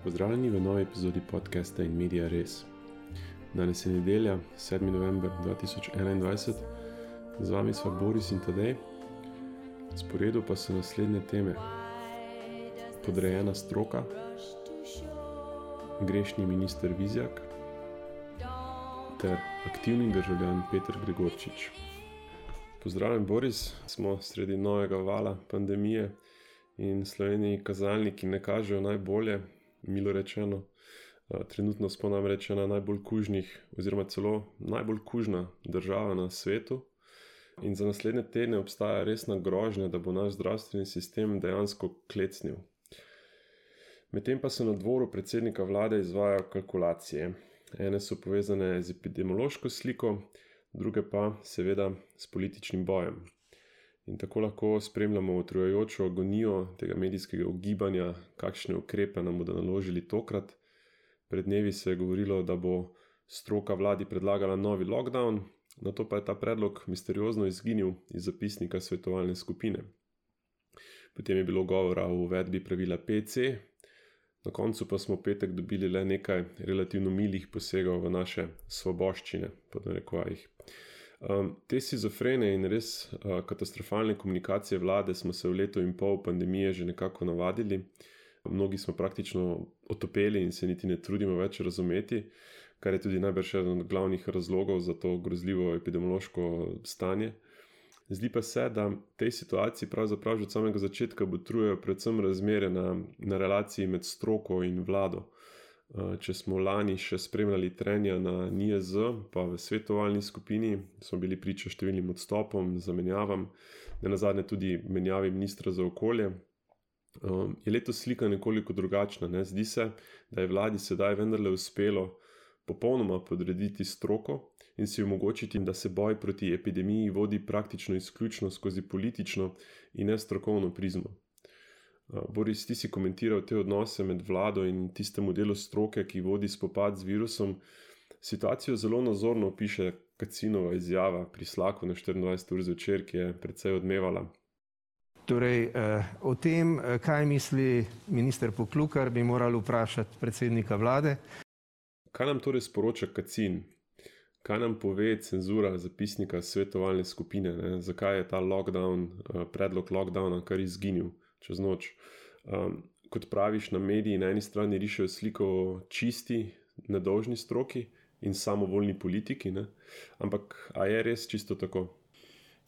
Pozdravljeni v novi epizodi podcasta In Media Res. Danes je nedelja, 7. november 2021. Z vami sva Boris in Tadej. V sporedu pa so naslednje teme: podrejena stroka, grešni minister Vizjak ter aktivni državljan Peter Gregorčič. Pozdravljen, Boris. Smo sredi novega vala pandemije in Sloveniji kazalniki ne kažejo najbolje, milo rečeno. Trenutno smo namreč ena najbolj kužnih oziroma celo najbolj kužna država na svetu in za naslednje tedne obstaja resna grožnja, da bo naš zdravstveni sistem dejansko klecnil. Medtem pa se na dvoru predsednika vlade izvajajo kalkulacije. Ene so povezane z epidemiološko sliko, druge pa seveda s političnim bojem. In tako lahko spremljamo utrujajočo agonijo tega medijskega ugibanja, kakšne ukrepe nam bodo naložili tokrat. Pred dnevi se je govorilo, da bo stroka vladi predlagala novi lockdown, nato pa je ta predlog misteriozno izginil iz zapisnika svetovalne skupine. Potem je bilo govora o uvedbi pravila PC, na koncu pa smo v petek dobili le nekaj relativno milih posegov v naše svoboščine, pod narekovajih. Te shizofrene in res katastrofalne komunikacije vlade smo se v letu in pol pandemije že nekako navadili. Mnogi smo praktično otopeli in se niti ne trudimo več razumeti, kar je tudi najbrž eden od glavnih razlogov za to grozljivo epidemiološko stanje. Zdi pa se, da tej situaciji pravzaprav že od samega začetka botrujejo predvsem razmere na relaciji med stroko in vlado. Če smo lani še spremljali trenja na NIJZ, pa v svetovalni skupini smo bili priča številnim odstopom, zamenjavam, nenazadnje tudi menjavi ministra za okolje, je letos slika nekoliko drugačna. Zdi se, da je vladi sedaj vendarle uspelo popolnoma podrediti stroko in si omogočiti, da se boj proti epidemiji vodi praktično izključno skozi politično in ne strokovno prizmo. Boris, ti si komentiral te odnose med vlado in tistemu delu stroke, ki vodi spopad z virusom. Situacijo zelo nazorno opiše Kacinova izjava pri Slaku na 24 ur zvečer, ki je precej odmevala. Torej, o tem, kaj misli minister Poklukar, bi morali vprašati predsednika vlade. Kaj nam torej sporoča Kacin? Kaj nam pove cenzura zapisnika svetovalne skupine? Zakaj je ta predlog lockdowna kar izginil čez noč? Kot praviš, na mediji na eni strani rišejo sliko o čisti, nedolžni stroki in samovoljni politiki, ne? Ampak a je res čisto tako?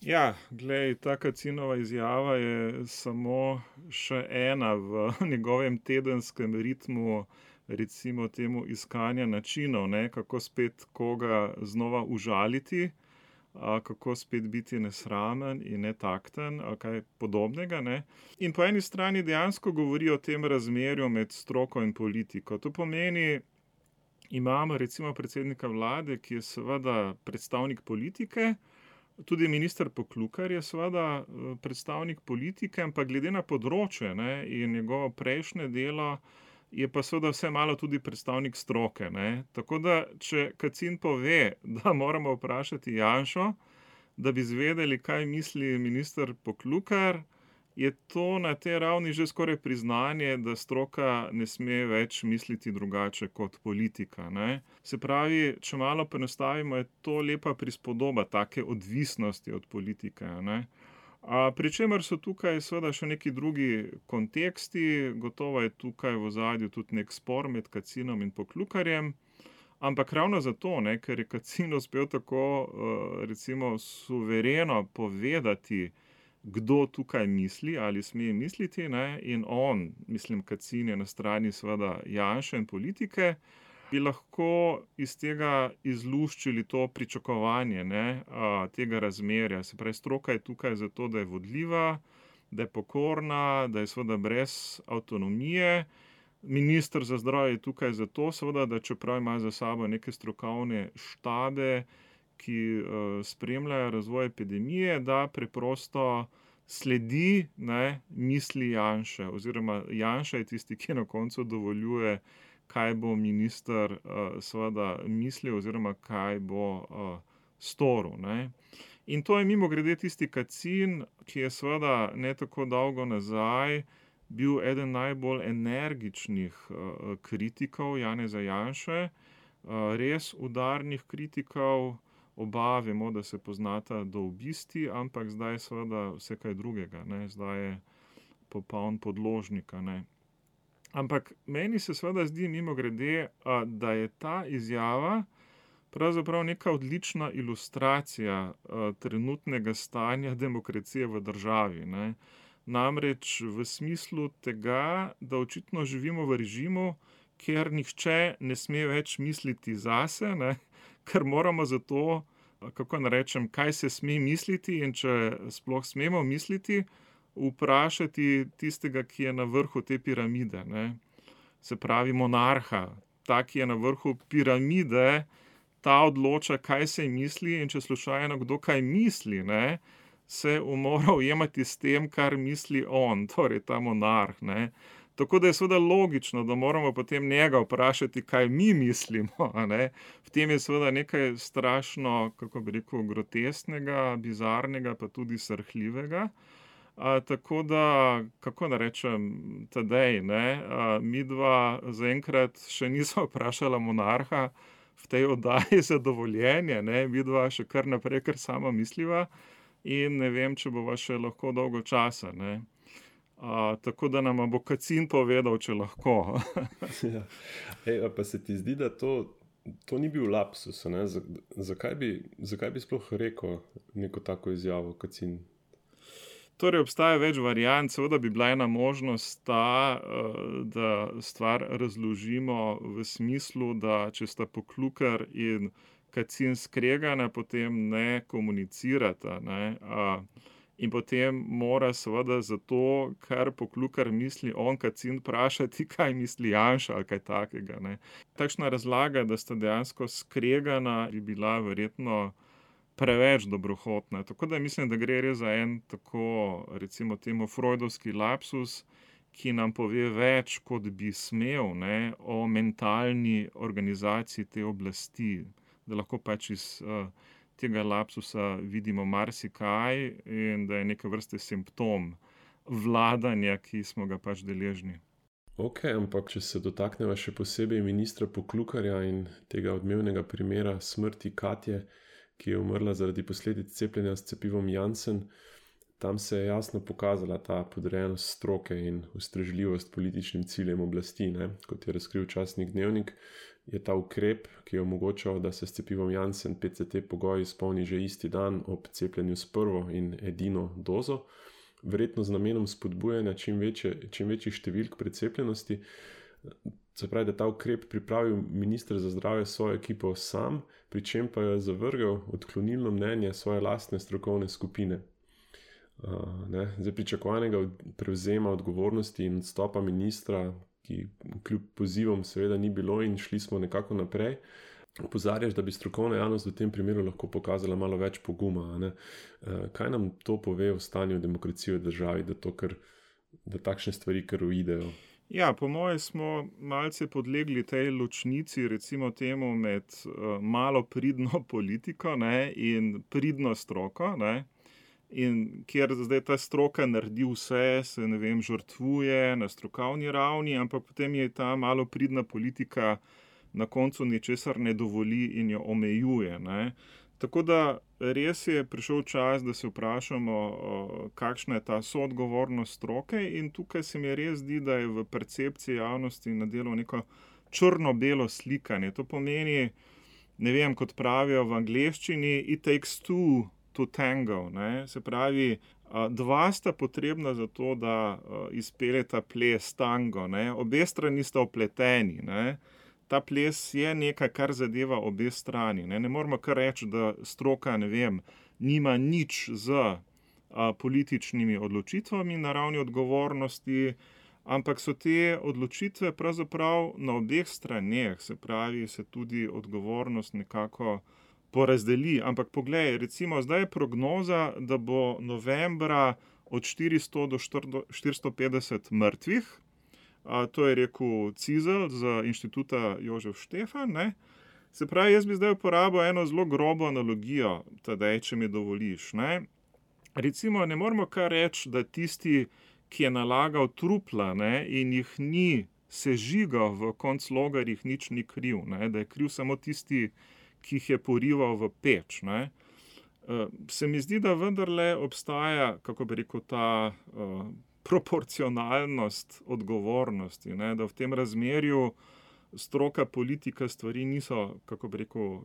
Ja, glej, ta Kacinova izjava je samo še ena v njegovem tedenskem ritmu, recimo temu iskanja načinov, kako spet koga znova užaliti, kako spet biti nesramen in netakten, ali kaj podobnega. In po eni strani dejansko govori o tem razmerju med stroko in politiko. To pomeni, imamo recimo predsednika vlade, ki je seveda predstavnik politike, tudi minister Poklukar je seveda predstavnik politike, ampak glede na področje in njegovo prejšnje delo, je pa seveda vse malo tudi predstavnik stroke. Tako da, če Kacin pove, da moramo vprašati Janšo, da bi izvedeli, kaj misli minister Poklukar, je to na tej ravni že skoraj priznanje, da stroka ne sme več misliti drugače kot politika. Se pravi, če malo poenostavimo, je to lepa prispodoba take odvisnosti od politike. Pri čemer so tukaj seveda še neki drugi konteksti, gotovo je tukaj v ozadju tudi nek spor med Kacinom in Poklukarjem, ampak ravno zato, ker je Kacin uspel tako recimo suvereno povedati, kdo tukaj misli ali sme misliti, in on, mislim Kacin, je na strani seveda Janše in politike, bi lahko iz tega izluščili to pričakovanje tega razmerja. Se pravi, stroka je tukaj zato, da je vodljiva, da je pokorna, da je seveda brez avtonomije. Minister za zdravje je tukaj zato, seveda, da čeprav ima za sabo neke strokovne štabe, ki spremljajo razvoj epidemije, da preprosto sledi misli Janše, oziroma Janša je tisti, ki na koncu dovoljuje, kaj bo minister seveda mislil oziroma kaj bo storil. In to je mimogrede tisti Kacin, ki je seveda ne tako dolgo nazaj bil eden najbolj energičnih kritikov Janeza Janše, res udarnih kritikov. Oba vemo, da se poznata do obisti, ampak zdaj seveda vse kaj drugega, ne? Zdaj je popoln podložnika, ne? Ampak meni se seveda zdi mimogrede, da je ta izjava pravzaprav neka odlična ilustracija trenutnega stanja demokracije v državi, ne. Namreč v smislu tega, da očitno živimo v režimu, kjer nihče ne sme več misliti zase, ne, ker moramo zato, kako naj rečem, kaj se sme misliti in če sploh smemo misliti, vprašati tistega, ki je na vrhu te piramide, ne. Se pravi monarha, ta, ki je na vrhu piramide, ta odloča, kaj se misli, in če slučajno kdo kaj misli, ne, se mora ujemati s tem, kar misli on, torej ta monarh, ne. Tako da je seveda logično, da moramo potem njega vprašati, kaj mi mislimo, a ne. V tem je seveda nekaj strašno, kako bi rekel, grotesknega, bizarnega, pa tudi srhljivega. Tako da, kako naj rečem, Tadej, ne, midva zaenkrat še nisva vprašala monarha v tej oddaji za dovoljenje, ne, midva še kar naprej kar sama misliva in ne vem, če bova še lahko dolgo časa, ne. Tako da nama bo Kacin povedal, če lahko. Ja. Pa se ti zdi, da to ni bil lapsus, ne? Zakaj bi sploh rekel neko tako izjavo, Kacin? Torej, obstaja več variant, seveda bi bila ena možnost ta, da stvar razložimo v smislu, da če sta Poklukar in Kacin skregana, potem ne komunicirata, ne. In potem mora seveda zato, kar Poklukar misli on, Kacin vprašati, kaj misli Janša ali kaj takega, ne. Takšna razlaga, da sta dejansko skregana, bi bila verjetno preveč dobrohotna. Tako da mislim, da gre res za en tako, recimo temu, freudovski lapsus, ki nam pove več, kot bi smel, ne, o mentalni organizaciji te oblasti. Da lahko pač iz tega lapsusa vidimo marsikaj in da je neke vrste simptom vladanja, ki smo ga pač deležni. Okej, ampak če se dotakneva še posebej ministra Poklukarja in tega odmevnega primera smrti Katje, ki je umrla zaradi posledic cepljenja s cepivom Janssen, tam se je jasno pokazala ta podrejenost stroke in ustrežljivost političnim ciljem oblasti, ne. Kot je razkril časnik Dnevnik, je ta ukrep, ki je omogočal, da se s cepivom Janssen PCT pogoj izpolni že isti dan ob cepljenju s prvo in edino dozo, verjetno z namenom spodbujanja čim večjih številk precepljenosti. Se pravi, da ta ukrep pripravil minister za zdravje svojo ekipo sam, pri čem pa je zavrgel odklonilno mnenje svoje lastne strokovne skupine. Zdaj, pričakovanega prevzema odgovornosti in odstopa ministra, ki kljub pozivom seveda ni bilo in šli smo nekako naprej, opozarjaš, da bi strokovna javnost v tem primeru lahko pokazala malo več poguma, a ne. Kaj nam to pove o stanju demokracije v državi, da takšne stvari kar uidejo? Ja, po moje smo malce podlegli tej ločnici, recimo temu, med malo pridno politiko, ne, in pridno stroko, ne. In kjer zdaj ta stroka naredi vse, se, ne vem, žrtvuje na strokovni ravni, ampak potem je ta malo pridna politika na koncu ničesar ne dovoli in jo omejuje, ne. Tako da res je prišel čas, da se vprašamo, kakšna je ta soodgovornost stroke, in tukaj se mi res zdi, da je v percepciji javnosti nadelo neko črno-belo slikanje. To pomeni, ne vem, kot pravijo v angleščini, it takes two to tango, ne. Se pravi, dva sta potrebna za to, da izpeljeta ples tango, ne. Obe strani sta vpleteni, ne. Ta ples je nekaj, kar zadeva obe strani, ne. Ne moremo kar reči, da stroka, ne vem, nima nič z političnimi odločitvami na ravni odgovornosti, ampak so te odločitve pravzaprav na obeh straneh, se pravi, se tudi odgovornost nekako porazdeli. Ampak poglej, recimo zdaj je prognoza, da bo novembra od 400 do 450 mrtvih. To je rekel Cizelj z Inštituta Jožef Štefan, ne. Se pravi, jaz bi zdaj uporabil eno zelo grobo analogijo, Tadej, če mi dovoliš, ne. Recimo, ne moremo kar reči, da tisti, ki je nalagal trupla, ne, in jih ni sežigal v konclogarjih, nič ni kriv, ne, da je kriv samo tisti, ki jih je porival v peč. Ne. Se mi zdi, da vendarle obstaja, kako bi rekel, ta proporcionalnost odgovornosti, ne, da v tem razmerju stroka, politika, stvari niso, kako bi rekel,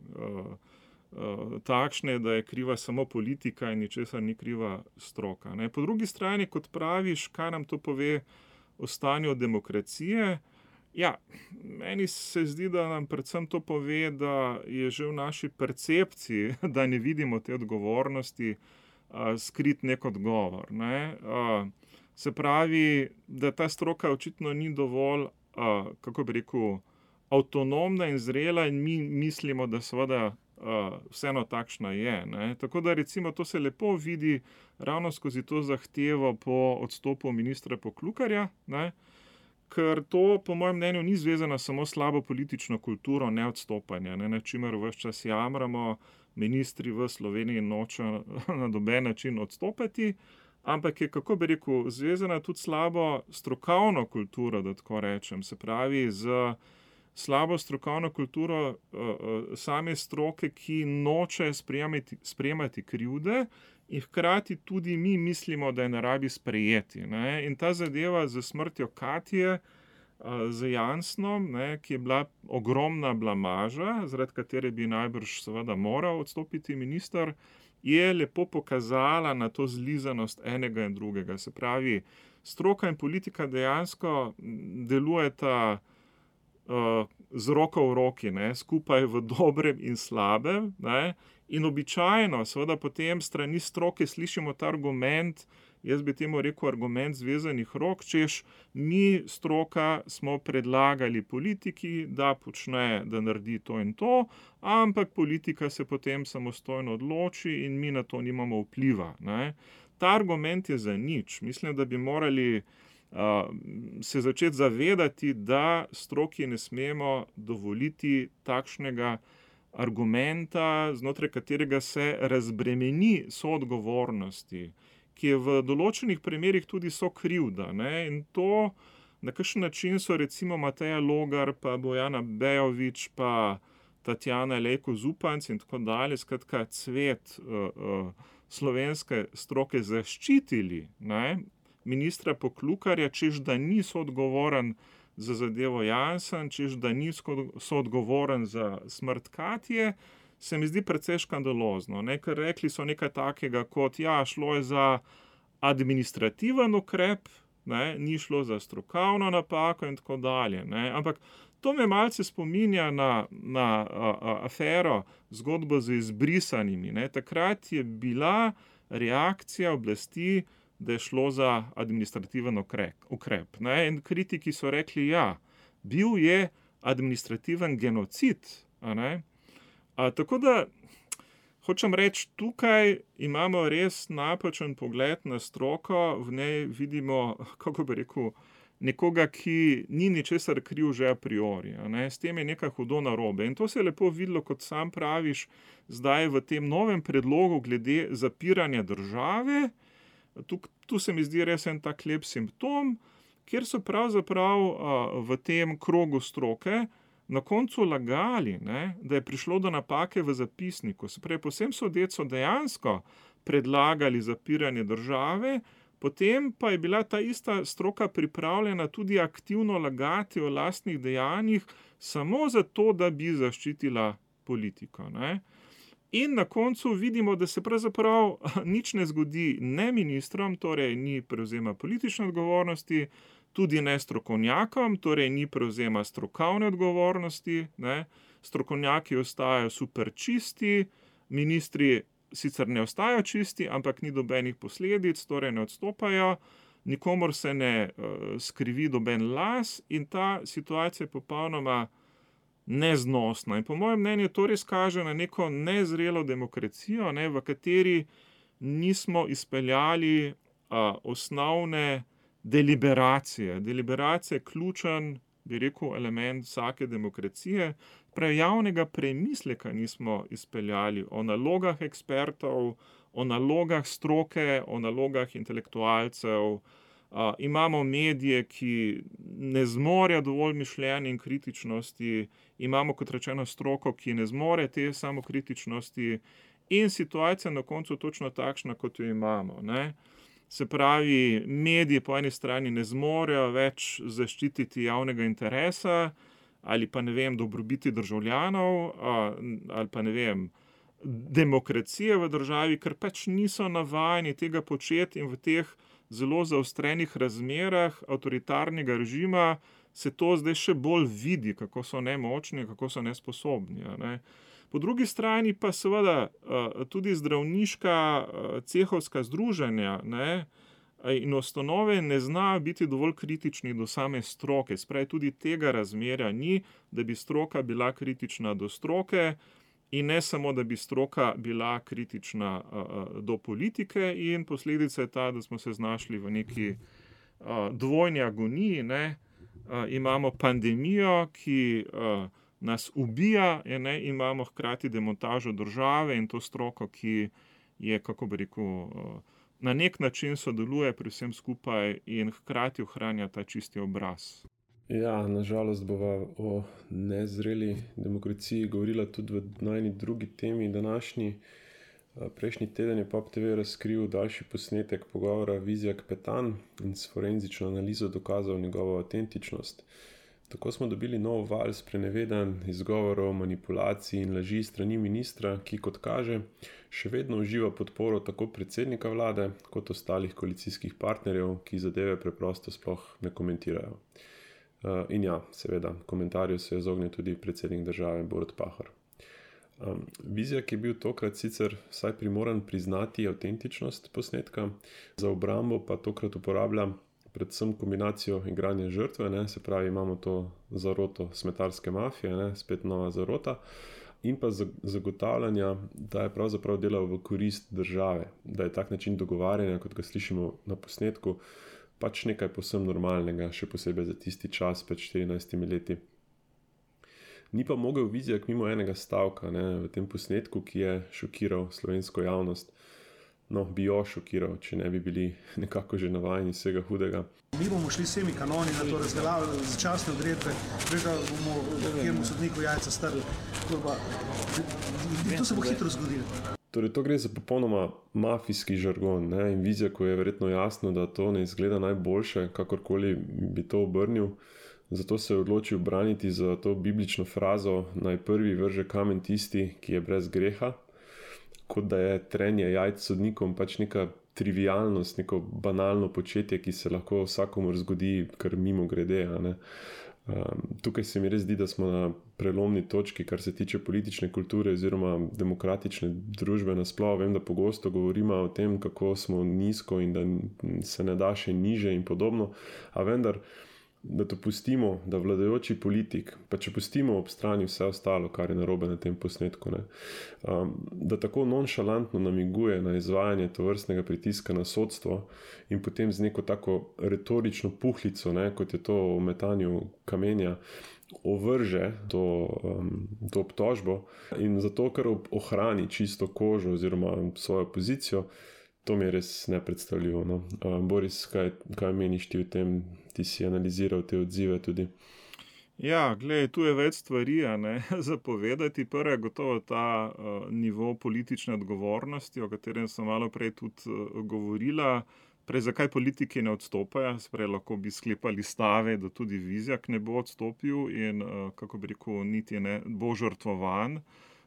takšne, da je kriva samo politika in ničesar ni kriva stroka. Ne. Po drugi strani, kot praviš, kaj nam to pove o stanju demokracije, ja, meni se zdi, da nam predvsem to pove, da je že v naši percepciji, da ne vidimo te odgovornosti, skrit nek odgovor. Ne. Se pravi, da ta stroka očitno ni dovolj, kako bi rekel, avtonomna in zrela in mi mislimo, da seveda vseeno takšna je. Ne. Tako da recimo to se lepo vidi ravno skozi to zahtevo po odstopu ministra Poklukarja, ne, ker to po mojem mnenju ni zvezano samo s slabo politično kulturo neodstopanja, ne, na čimer ves čas jamramo, ministri v Sloveniji nočejo na noben način odstopati, ampak je, kako bi rekel, zvezana tudi slabo strokovno kulturo, da tako rečem, se pravi z slabo strokovno kulturo same stroke, ki noče sprejemati krivde in hkrati tudi mi mislimo, da je ne rabi sprejeti. Ne. In ta zadeva z smrtjo Katje, z Jansnom, ne, ki je bila ogromna blamaža, zaradi katere bi najbrž seveda moral odstopiti minister, je lepo pokazala na to zlizanost enega in drugega. Se pravi, stroka in politika dejansko delujeta z roko v roki, ne, skupaj v dobrem in slabem, ne, in običajno seveda potem strani stroke slišimo ta argument, jaz bi temu rekel argument zvezanih rok, češ mi stroka smo predlagali politiki, da počne, da naredi to in to, ampak politika se potem samostojno odloči in mi na to nimamo vpliva. Ne. Ta argument je zanič. Mislim, da bi morali se začeti zavedati, da stroki ne smemo dovoliti takšnega argumenta, znotraj katerega se razbremeni soodgovornosti, ki je v določenih primerih tudi sokrivda. Ne? In to, na kakšen način so recimo Mateja Logar, pa Bojana Bejović, pa Tatjana Lejko Zupanc in tako dalje, skratka cvet slovenske stroke zaščitili, ne? Ministra Poklukarja, češ da ni soodgovoren za zadevo Jansen, češ da ni soodgovoren za smrt Katje, se mi zdi precej škandalozno. Ne? Ker rekli so nekaj takega kot, ja, šlo je za administrativen ukrep, ne? Ni šlo za strokovno napako in tako dalje. Ne? Ampak to me malce spominja na afero, zgodbo z izbrisanimi. Ne? Takrat je bila reakcija oblasti, da je šlo za administrativen ukrep. Ne? In kritiki so rekli, ja, bil je administrativen genocid. A ne? Tako da, hočem reči, tukaj imamo res napačen pogled na stroko, v njej vidimo, kako bi rekel, nekoga, ki ni ničesar kriv že a priori. A ne? S tem je nekaj hudo narobe. In to se je lepo videlo, kot sam praviš, zdaj v tem novem predlogu glede zapiranja države. Tu se mi zdi res en tak lep simptom, kjer so pravzaprav v tem krogu stroke na koncu lagali, ne, da je prišlo do napake v zapisniku. Se pravi, povsem sodeč so dejansko predlagali zapiranje države, potem pa je bila ta ista stroka pripravljena tudi aktivno lagati o lastnih dejanjih, samo zato, da bi zaščitila politiko. Ne. In na koncu vidimo, da se pravzaprav nič ne zgodi ne ministrom, torej ni prevzema politične odgovornosti, tudi ne strokovnjakom, torej ni prevzema strokovne odgovornosti, ne. Strokovnjaki ostajajo super čisti, ministri sicer ne ostajajo čisti, ampak ni dobenih posledic, torej ne odstopajo, nikomor se ne skrivi doben las in ta situacija je popolnoma neznosna. In po mojem mnenju to res kaže na neko nezrelo demokracijo, ne, v kateri nismo izpeljali osnovne deliberacije. Deliberacija je ključen, bi rekel, element vsake demokracije. Prav javnega premisleka nismo izpeljali o nalogah ekspertov, o nalogah stroke, o nalogah intelektualcev, Imamo medije, ki ne zmorejo dovolj mišljenja in kritičnosti, imamo, kot rečeno, stroko, ki ne zmore te samokritičnosti, in situacija na koncu točno takšna, kot jo imamo, ne. Se pravi, mediji po eni strani ne zmorejo več zaščititi javnega interesa, ali pa, ne vem, dobrobiti državljanov, ali pa, ne vem, demokracije v državi, ker pač niso navajeni tega početi, in v teh zelo zaostrenih razmerah avtoritarnega režima se to zdaj še bolj vidi, kako so nemočni, kako so nesposobni, a ne. Po drugi strani pa seveda tudi zdravniška cehovska združenja, ne, in ustanove ne znajo biti dovolj kritični do same stroke. Se pravi, tudi tega razmerja ni, da bi stroka bila kritična do stroke, in ne samo, da bi stroka bila kritična do politike, in posledica je ta, da smo se znašli v neki dvojni agoniji, ne. Imamo pandemijo, ki nas ubija, ne, imamo hkrati demontažo države in to stroko, ki je, kako bi rekel, na nek način sodeluje pri vsem skupaj in hkrati ohranja ta čisti obraz. Ja, nažalost bova o nezreli demokraciji govorila tudi v najni drugi temi današnji. Prejšnji teden je POP TV razkril daljši posnetek pogovora Vizjak-Petan in s forenzično analizo dokazal njegovo avtentičnost. Tako smo dobili nov val sprenevedanj, izgovorov, manipulacij in laži strani ministra, ki, kot kaže, še vedno uživa podporo tako predsednika vlade kot ostalih koalicijskih partnerjev, ki zadeve preprosto sploh ne komentirajo. In ja, seveda, komentarju se je izognil tudi predsednik države Borut Pahor. Vizjak je bil tokrat sicer vsaj primoran priznati avtentičnost posnetka, za obrambo pa tokrat uporablja predvsem kombinacijo igranja žrtve, ne, se pravi, imamo to zaroto smetarske mafije, ne, spet nova zarota, in pa zagotavljanja, da je pravzaprav delal v korist države, da je tak način dogovarjanja, kot ga slišimo na posnetku, pač nekaj povsem normalnega, še posebej za tisti čas pred 14 leti. Ni pa mogel Vizjak mimo enega stavka, ne, v tem posnetku, ki je šokiral slovensko javnost. No, bi jo šokiral, če ne bi bili nekako že navajeni vsega hudega. Mi bomo šli s temi kanoni na to razveljavljanje začasne odredbe, da bomo kjermu sodniku jajca strli. To se bo hitro zgodilo. Torej, to gre za popolnoma mafijski žargon, ne? In Vizjaku je verjetno jasno, da to ne izgleda najboljše, kakorkoli bi to obrnil. Zato se je odločil braniti za to biblično frazo: naj prvi vrže kamen tisti, ki je brez greha. Kot da je trenje jajc sodnikom pač neka trivialnost, neko banalno početje, ki se lahko vsakomur zgodi kar mimo grede, a ne. Tukaj se mi res zdi, da smo na prelomni točki, kar se tiče politične kulture oziroma demokratične družbe nasploh. Vem, da pogosto govorimo o tem, kako smo nizko in da se ne da še niže in podobno, a vendar, da to pustimo, da vladajoči politik, pa če pustimo ob strani vse ostalo, kar je narobe na tem posnetku, ne, da tako nonšalantno namiguje na izvajanje tovrstnega pritiska na sodstvo in potem z neko tako retorično puhlico, ne, kot je to o metanju kamenja, ovrže to obtožbo in zato, ker ohrani čisto kožo oziroma svojo pozicijo, to mi je res nepredstavljivo, no. Boris, kaj meniš ti o tem? Ti si analiziral te odzive tudi. Ja, glej, tu je več stvari, a ne, za povedati. Prva je gotovo ta nivo politične odgovornosti, o katerem sem malo prej tudi govorila. Prej, zakaj politiki ne odstopajo? Sprej lahko bi sklepali stave, da tudi Vizjak ne bo odstopil in, kako bi rekel, niti ne bo žrtvovan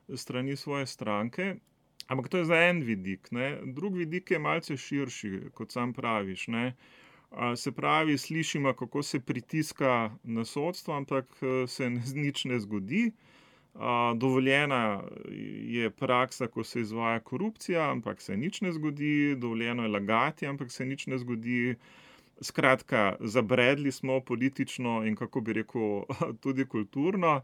strani svoje stranke. Ampak to je za en vidik, ne. Drug vidik je malce širši, kot sam praviš, ne. Se pravi, slišimo, kako se pritiska na sodstvo, ampak se nič ne zgodi. Dovoljena je praksa, ko se izvaja korupcija, ampak se nič ne zgodi. Dovoljeno je lagati, ampak se nič ne zgodi. Skratka, zabredli smo politično in, kako bi rekel, tudi kulturno.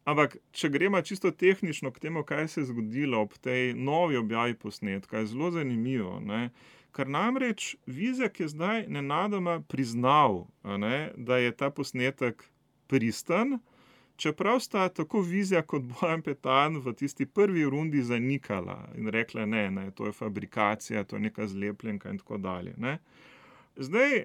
Ampak, če gremo čisto tehnično k temu, kaj se je zgodilo ob tej novi objavi posnetka, je zelo zanimivo, ne. Ker namreč Vizjak je zdaj nenadoma priznal, ne, da je ta posnetek pristen, čeprav sta tako Vizjak kot Bojan Petan v tisti prvi rundi zanikala in rekla, ne, to je fabrikacija, to je neka zlepljenka in tako dalje, ne. Zdaj,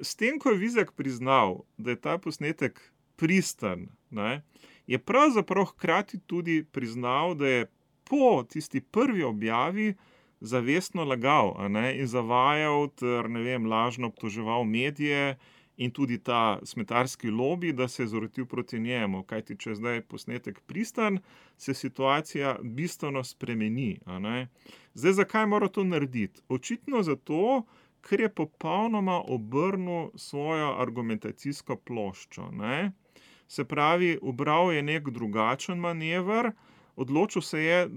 s tem, ko je Vizjak priznal, da je ta posnetek pristan, ne, je pravzaprav hkrati tudi priznal, da je po tisti prvi objavi zavestno lagal, in zavajal ter, lažno obtoževal medije in tudi ta smetarski lobi, da se je zorotil proti njemu. Kajti, če je zdaj posnetek pristan, se situacija bistveno spremeni, Zdaj, zakaj mora to narediti? Očitno zato, ker je popolnoma obrnil svojo argumentacijsko ploščo, Se pravi, ubral je nek drugačen manever, odločil se je,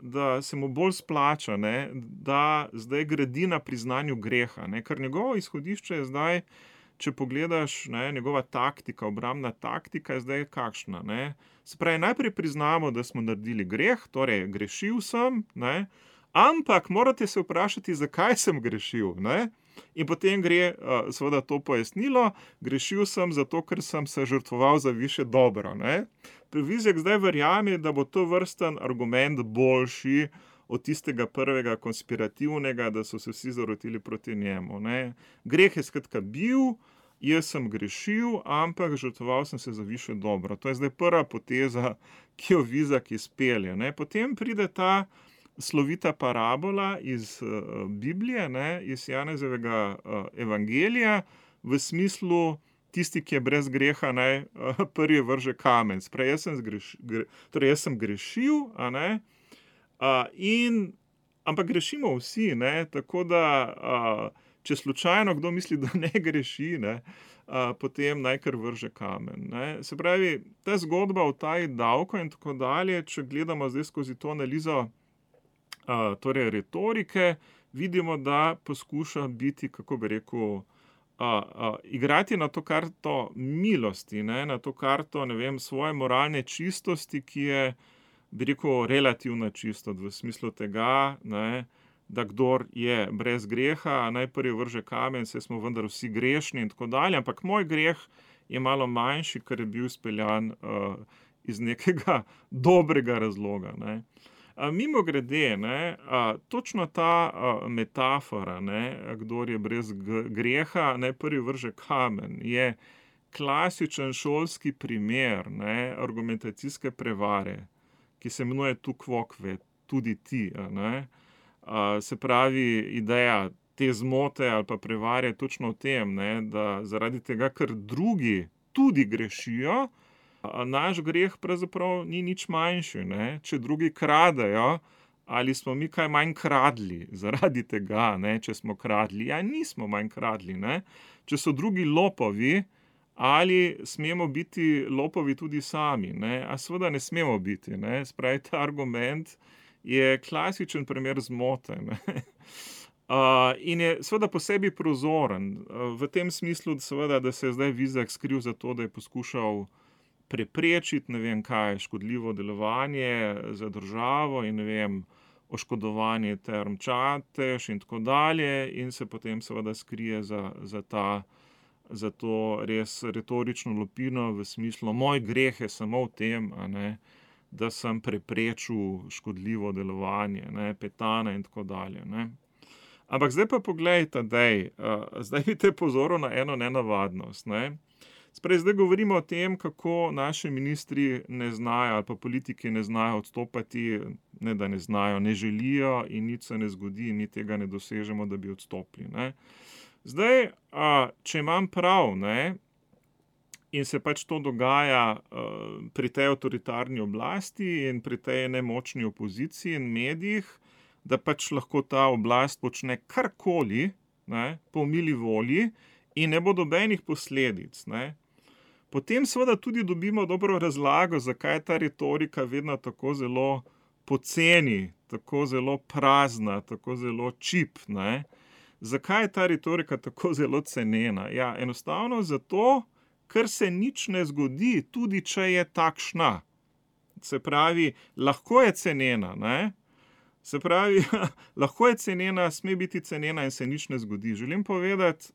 da se mu bolj splača, da zdaj gradi na priznanju greha, ker njegovo izhodišče je zdaj, če pogledaš, njegova taktika, obrambna taktika je zdaj kakšna, Se pravi, najprej priznamo, da smo naredili greh, torej grešil sem, ampak morate se vprašati, zakaj sem grešil, In potem gre seveda to pojasnilo, grešil sem zato, ker sem se žrtvoval za višje dobro, Vizjak zdaj verjame, da bo to vrsten argument boljši od tistega prvega konspirativnega, da so se vsi zarotili proti njemu, Greh je skratka bil, jaz sem grešil, ampak žrtvoval sem se za višje dobro. To je zdaj prva poteza, ki jo Vizjak izpelje, Potem pride ta slovita parabola iz Biblije, iz Janezovega evangelija, v smislu tisti, ki je brez greha, naj prvi vrže kamen. Jaz sem grešil, ampak grešimo vsi, tako da če slučajno kdo misli, da ne greši, potem naj kar vrže kamen. Se pravi, ta zgodba o utaji davkov in tako dalje, če gledamo zdaj skozi to analizo torej retorike, vidimo, da poskuša biti, kako bi rekel, igrati na to karto milosti, na to karto, svoje moralne čistosti, ki je, bi rekel, relativna čistost v smislu tega, da kdor je brez greha, naj prvi vrže kamen, saj smo vendar vsi grešni in tako dalje, ampak moj greh je malo manjši, ker je bil speljan iz nekega dobrega razloga, Mimogrede, točno ta metafora, kdor je brez greha, naj prvi vrže kamen, je klasičen šolski primer, argumentacijske prevare, ki se imenuje tu kvokve, tudi ti, Se pravi, ideja te zmote ali pa prevare je točno v tem, da zaradi tega, ker drugi tudi grešijo, naš greh pravzaprav ni nič manjši, Če drugi kradejo, ali smo mi kaj manj kradli zaradi tega, če smo kradli? Ja, nismo manj kradli, Če so drugi lopovi, ali smemo biti lopovi tudi sami, A seveda ne smemo biti, Spravi, ta argument je klasičen primer zmote, in je seveda po sebi prozoren, v tem smislu, seveda, da se je zdaj Vizjak skril za to, da je poskušal preprečiti, kaj, škodljivo delovanje za državo in oškodovanje Term Čatež in tako dalje, in se potem seveda skrije za to res retorično lupino v smislu, moj greh je samo v tem, da sem preprečil škodljivo delovanje, Petana in tako dalje, Ampak zdaj pa poglej, Tadej, zdaj bi te pozoril na eno nenavadnost, Zdaj govorimo o tem, kako naši ministri ne znajo ali pa politiki ne znajo odstopati, ne da ne znajo, ne želijo in nič se ne zgodi, mi tega ne dosežemo, da bi odstopili, Zdaj, če imam prav, in se pač to dogaja pri tej avtoritarni oblasti in pri tej nemočni opoziciji in medijih, da pač lahko ta oblast počne karkoli, po mili volji in ne bo nobenih posledic, Potem seveda tudi dobimo dobro razlago, zakaj je ta retorika vedno tako zelo poceni, tako zelo prazna, tako zelo čip, Zakaj je ta retorika tako zelo cenena? Ja, enostavno zato, ker se nič ne zgodi, tudi če je takšna. Se pravi, lahko je cenena, Se pravi, lahko je cenena, sme biti cenena in se nič ne zgodi. Želim povedati,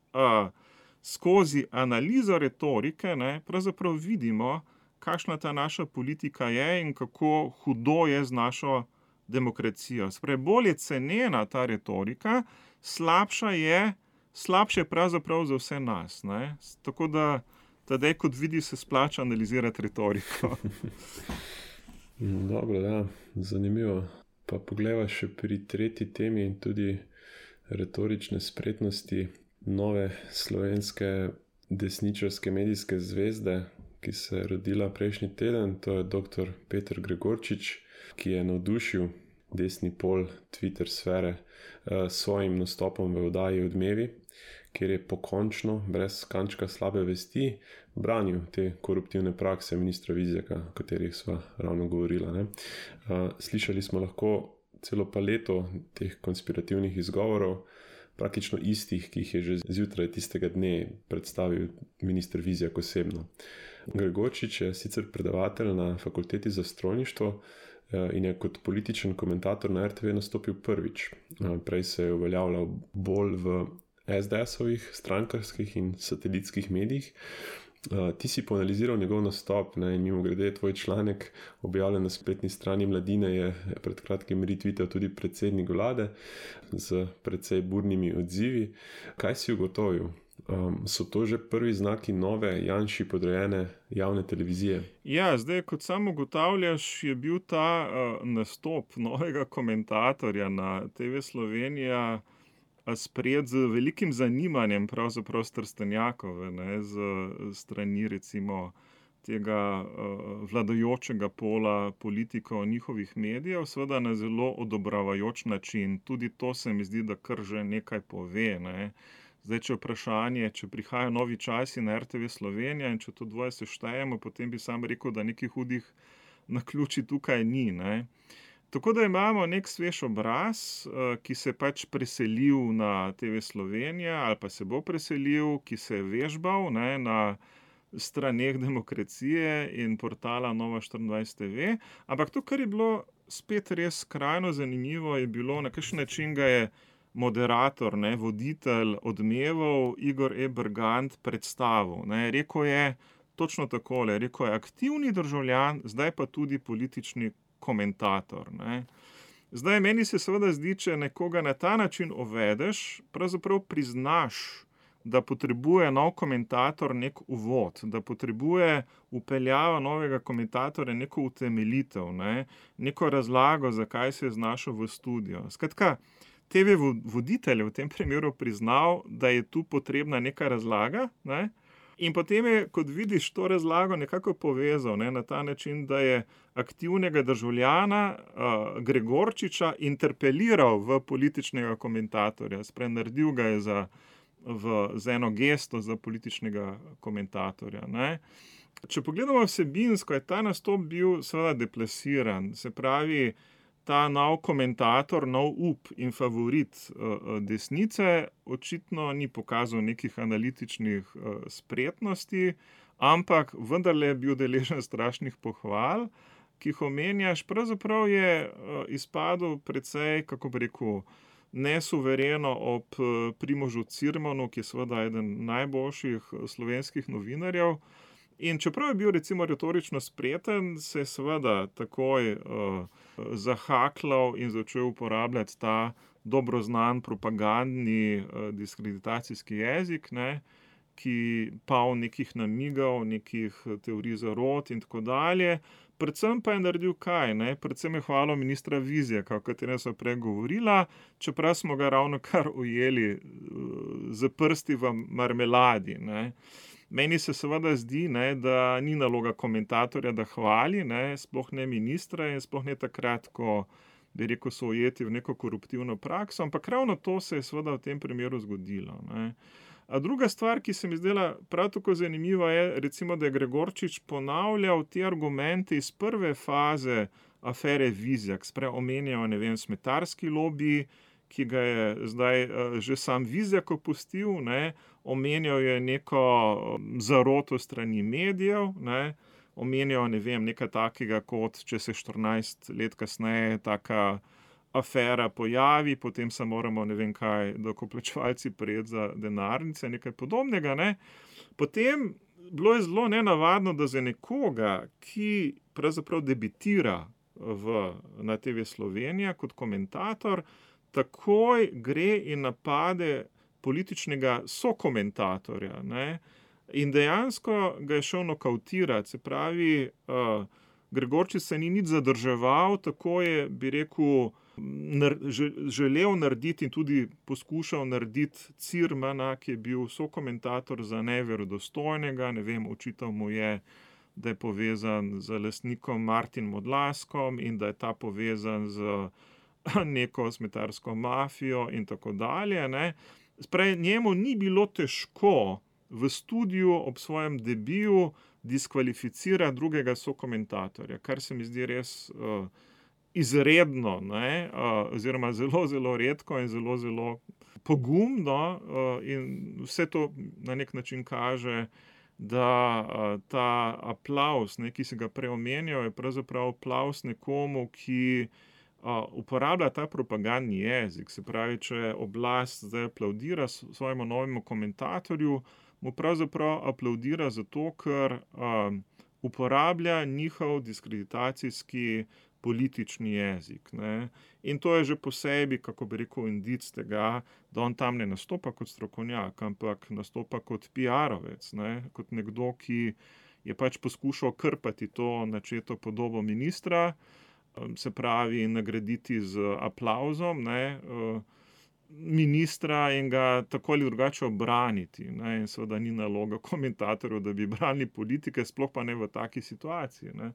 skozi analizo retorike, pravzaprav vidimo, kakšna ta naša politika je in kako hudo je z našo demokracijo. Se pravi, bolj je cenena ta retorika, slabša je slabše je pravzaprav za vse nas. Ne? Tako da tedaj, kot vidi, se splača analizirati retoriko. Dobro, ja, zanimivo. Pa poglejva še pri tretji temi in tudi retorične spretnosti nove slovenske desničarske medijske zvezde, ki se je rodila prejšnji teden. To je dr. Peter Gregorčič, ki je navdušil desni pol Twitter sfere s svojim nastopom v oddaji Odmevi, kjer je pokončno, brez kančka slabe vesti, branil te koruptivne prakse ministra Vizjaka, o katerih sva ravno govorila. Ne? Slišali smo lahko celo paleto teh konspirativnih izgovorov, praktično istih, ki jih je že zjutraj tistega dne predstavil minister Vizjak osebno. Gregorčič je sicer predavatelj na Fakulteti za strojništvo in je kot političen komentator na RTV nastopil prvič. Prej se je uveljavljal bolj v SDS-ovih, strankarskih in satelitskih medijih. Ti si poanaliziral njegov nastop, ne, in mimogrede tvoj članek, objavljen na spletni strani Mladine, je pred kratkim retweetal tudi predsednik vlade z precej burnimi odzivi. Kaj si ugotovil? So to že prvi znaki nove Janši podrejene javne televizije? Ja, zdaj, kot sam ugotavljaš, je bil ta nastop novega komentatorja na TV Slovenija sprejet z velikim zanimanjem pravzaprav s Trstenjakove, ne, z strani recimo tega vladajočega pola politikov njihovih medijev, seveda na zelo odobravajoč način. Tudi to se mi zdi, da kar že nekaj pove, ne. Zdaj, če vprašanje, če prihajajo novi časi na RTV Slovenija in če to dvoje seštejemo, potem bi sam rekel, da nekih hudih naključij tukaj ni, ne. Tako da imamo nek svež obraz, ki se je pač preselil na TV Slovenija ali pa se bo preselil, ki se je vežbal, ne, na straneh Demokracije in portala Nova24 TV. Ampak to, kar je bilo spet res skrajno zanimivo, je bilo, na kakšen način ga je moderator, ne, voditelj Odmevov Igor E. Bergant predstavil. Ne. Rekel je točno takole, rekel je aktivni državljan, zdaj pa tudi politični komentator. Ne. Zdaj, meni se seveda zdi, če nekoga na ta način uvedeš, pravzaprav priznaš, da potrebuje nov komentator nek uvod, da potrebuje vpeljava novega komentatorja neko utemeljitev, ne, neko razlago, zakaj se je znašel v studio. Skratka, TV voditelj je v tem primeru priznal, da je tu potrebna neka razlaga, ne, in potem je, kot vidiš, to razlago nekako povezal, ne, na ta način, da je aktivnega državljana Gregorčiča interpeliral v političnega komentatorja, naredil ga je za eno gesto za političnega komentatorja. Ne. Če pogledamo vsebinsko, je ta nastop bil seveda deplasiran, se pravi, ta nov komentator, nov up in favorit desnice očitno ni pokazal nekih analitičnih spretnosti, ampak vendarle je bil deležen strašnih pohval, ki jih omenjaš. Pravzaprav je izpadel precej, kako bi rekel, nesuvereno ob Primožu Cirmanu, ki je seveda eden najboljših slovenskih novinarjev. In čeprav je bil recimo retorično spreten, se je seveda takoj zahaklal in začel uporabljati ta dobro znan propagandni diskreditacijski jezik, ne, ki poln nekih namigov, nekih teorij zarot in tako dalje. Predvsem pa je naredil kaj, ne? Predvsem je hvalil ministra Vizjaka, o katerem sva prej govorila, čeprav smo ga ravnokar ujeli z prsti v marmeladi, ne. Meni se seveda zdi, ne, da ni naloga komentatorja, da hvali, ne, sploh ne ministra in sploh ne takrat, ko bi rekel, so ujeti v neko koruptivno prakso, ampak ravno to se je seveda v tem primeru zgodilo, ne. A druga stvar, ki se mi zdela prav tako zanimiva, je recimo, da je Gregorčič ponavljal te argumente iz prve faze afere Vizjak, omenjal, ne vem, smetarski lobi, ki ga je zdaj že sam Vizjak opustil, ne, omenjal je neko zaroto strani medijev, ne, omenjal, ne vem, nekaj takega, kot če se 14 let kasneje taka afera pojavi, potem se moramo, ne vem kaj, davkoplačevalci prijeti za denarnice, nekaj podobnega, ne. Potem bilo je zelo nenavadno, da za nekoga, ki pravzaprav debitira na TV Slovenija kot komentator, takoj gre in napade političnega sokomentatorja, ne. In dejansko ga je šel nokautirati, se pravi, Gregorčič se ni nič zadrževal, tako je, bi rekel, želel narediti in tudi poskušal narediti Cirmana, ki je bil sokomentator, za neverodostojnega, ne vem, očital mu je, da je povezan z lastnikom Martinom Odlazkom in da je ta povezan z neko smetarsko mafijo in tako dalje, ne. Spravi, njemu ni bilo težko v studiu ob svojem debiju diskvalificirati drugega sokomentatorja, kar se mi zdi res izredno, ne, oziroma zelo, zelo redko in zelo, zelo pogumno, in vse to na nek način kaže, da ta aplavz, ne, ki si ga prej omenjal, je pravzaprav aplavz nekomu, ki uporablja ta propagandni jezik. Se pravi, če oblast zdaj aplavdira svojemu novemu komentatorju, mu pravzaprav aplavdira zato, ker uporablja njihov diskreditacijski politični jezik, ne. In to je že po sebi, kako bi rekel, indic tega, da on tam ne nastopa kot strokovnjak, ampak nastopa kot PR-ovec, ne, kot nekdo, ki je pač poskušal krpati to načeto podobo ministra, se pravi, nagraditi z aplavzom, ne, ministra in ga tako ali drugače obraniti, ne, in seveda ni naloga komentatorjev, da bi branili politike, sploh pa ne v taki situaciji, ne.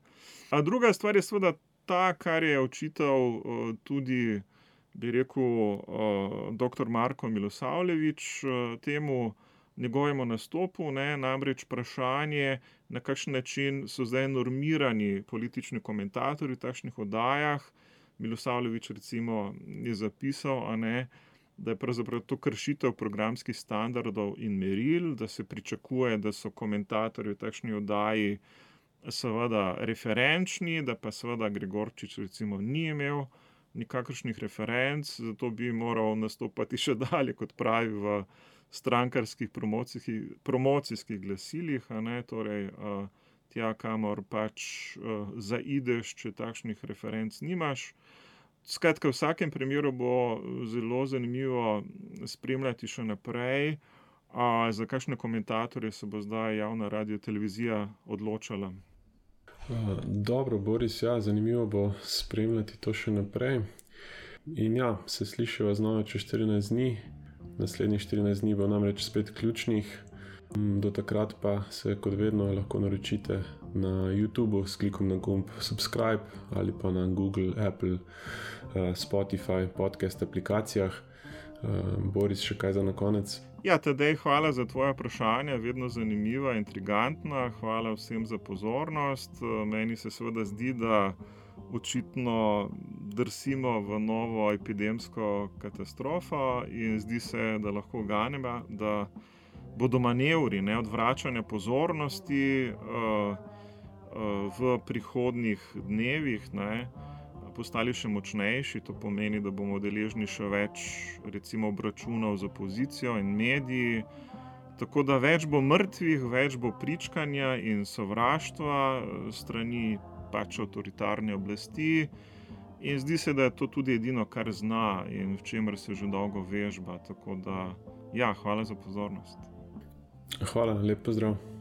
A druga stvar je seveda ta, kar je očital tudi, bi rekel, doktor Marko Milosavljević temu njegovemu nastopu, ne, namreč vprašanje, na kakšen način so zdaj normirani politični komentatorji v takšnih oddajah. Milosavljević recimo je zapisal, a ne, da je pravzaprav to kršitev programskih standardov in meril, da se pričakuje, da so komentatorji v takšni oddaji seveda referenčni, da pa seveda Gregorčič recimo ni imel nikakršnih referenc, zato bi moral nastopati še dalje, kot pravi, v strankarskih promocijskih glasilih, a ne, torej tja, kamor pač zaideš, če takšnih referenc nimaš. Skratka, v vsakem primeru bo zelo zanimivo spremljati še naprej, za kakšne komentatorje se bo zdaj javna radiotelevizija odločala. Dobro, Boris, ja, zanimivo bo spremljati to še naprej. In ja, se slišiva znova čez 14 dni. Naslednjih 14 dni bo namreč spet ključnih. Do takrat pa se kot vedno lahko naročite na YouTubeu s klikom na gumb subscribe ali pa na Google, Apple, Spotify, podcast aplikacijah. Boris, še kaj za na konec? Ja, Tadej, hvala za tvoja vprašanja, vedno zanimiva, intrigantna. Hvala vsem za pozornost. Meni se seveda zdi, da očitno drsimo v novo epidemsko katastrofo in zdi se, da lahko ganemo, da bodo manevri, ne, odvračanja pozornosti v prihodnjih dnevih, ne, postali še močnejši. To pomeni, da bomo deležni še več recimo obračunov z opozicijo in mediji. Tako da več bo mrtvih, več bo pričkanja in sovraštva strani pač avtoritarne oblasti. In zdi se, da je to tudi edino, kar zna in v čemer se že dolgo vežba. Tako da, ja, hvala za pozornost. Hvala, lep pozdrav.